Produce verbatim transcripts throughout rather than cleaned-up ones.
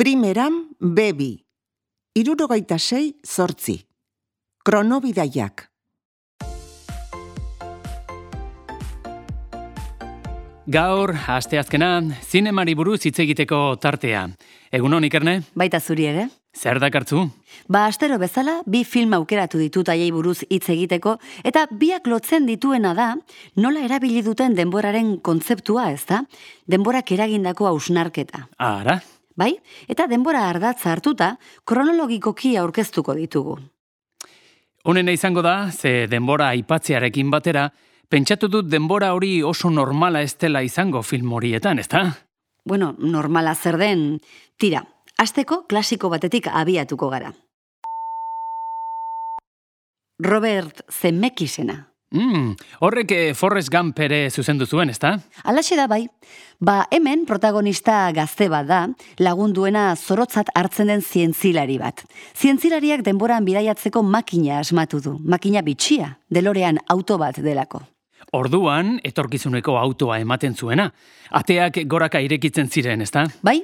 Primeran, bebi. Hirurogeita sei, zortzi. Kronobidaiak. Gaur, asteazkena, zinemari buruz hitz egiteko tartea. Egunon, Ikerne? Baita zuri ere? Zer dakartzu? Ba, astero bezala, bi film aukeratu ditut haiei buruz hitz egiteko, eta biak lotzen dituena da, nola erabili duten denboraren kontzeptua, ezta? Denborak eragindako hausnarketa. Ara? Bai? Eta denbora ardatza hartuta, kronologikoki aurkeztuko ditugu. Honena izango da, ze denbora aipatzearekin batera, pentsatu dut denbora hori oso normala ez dela izango film horietan, ezta? Bueno, normala zer den, tira, hasteko klasiko batetik abiatuko gara. Robert Zemeckisena. Mm, horrek eh, Forrest Gump ere zuzendu zuen, ezta? Alaxe da bai. Ba, hemen protagonista gazte bat da, lagunduena zorotzat hartzen den zientzilari bat. Zientzilariak denboran bidaiatzeko makina asmatu du. Makina bitxia, DeLorean auto bat delako. Orduan, etorkizuneko autoa ematen zuena. Ateak goraka irekitzen ziren, ezta? Bai,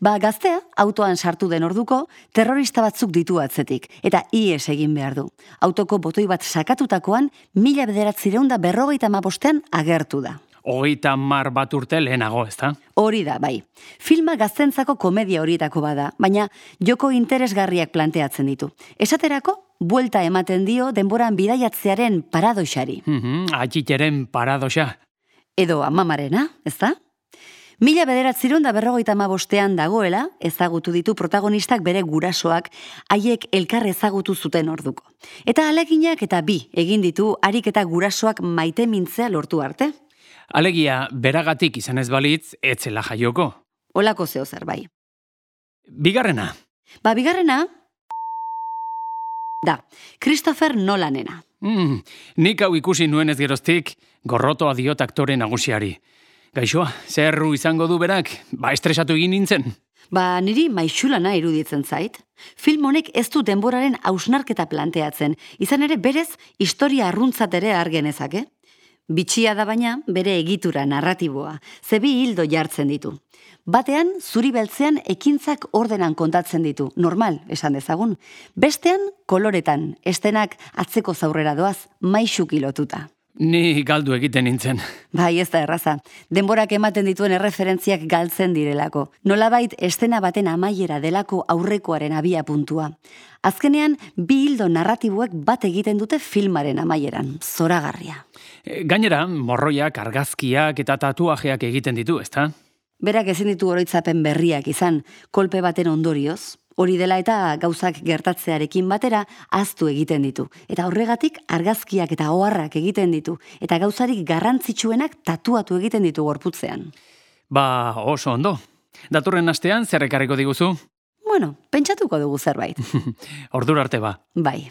ba gaztea autoan sartu den orduko terrorista batzuk ditu atzetik, eta ihes egin behar du. Autoko botoi bat sakatutakoan, mila bederatzireun da berrogeita hamabostean agertu da. Hogeita mar bat urte lehenago, ezta? Hori da, bai. Filma gaztentzako komedia horietako bada, baina joko interesgarriak planteatzen ditu. Esaterako, buelta ematen dio denboran bidaiatzearen paradoxari. Mm-hmm, atxiteren paradoxa. Edo amamarena, ezta? Mila bederatzireun da berrogeita hamabostean dagoela, ezagutu ditu protagonistak bere gurasoak, haiek elkar ezagutu zuten orduko. Eta aleginak eta bi egin ditu harik eta gurasoak maite mintzea lortu arte. Alegia, beragatik izan ez balitz, etzela jaioko. Olako zeo zer bai. Bigarrena. Ba, bigarrena da, Christopher Nolanena. Mm, nik hau ikusi nuen ez geroztik, gorrotoa diot aktore nagusiari. Gaixoa, zerru izango du berak, ba estresatu egin nintzen. Ba, niri maixulana iruditzen zait. Film honek ez du denboraren hausnarketa planteatzen, izan ere berez historia arruntzat ere argenezake. Bitxia da baina bere egitura narratiboa, zebi hildo jartzen ditu. Batean, zuri beltzean ekintzak ordenan kontatzen ditu, normal, esan dezagun. Bestean, koloretan, estenak atzeko zaurrera doaz, maixuki lotuta. Ni galdu egiten nintzen. Bai, ez da erraza. Denborak ematen dituen erreferentziak galtzen direlako. Nolabait estena baten amaiera delako aurrekoaren abia puntua. Azkenean, bi hildo narratiboek bat egiten dute filmaren amaieran. Zoragarria. Gainera, morroiak, argazkiak eta tatuajeak egiten ditu, ezta? Berak ezin ditu oroitzapen berriak izan, kolpe baten ondorioz. Hori dela eta gauzak gertatzearekin batera ahaztu egiten ditu. Eta horregatik argazkiak eta oharrak egiten ditu. Eta gauzarik garrantzitsuenak tatuatu egiten ditu gorputzean. Ba, oso ondo. Datorren astean zer ekarriko diguzu? Bueno, pentsatuko dugu zerbait. Ordura arte ba. Bai.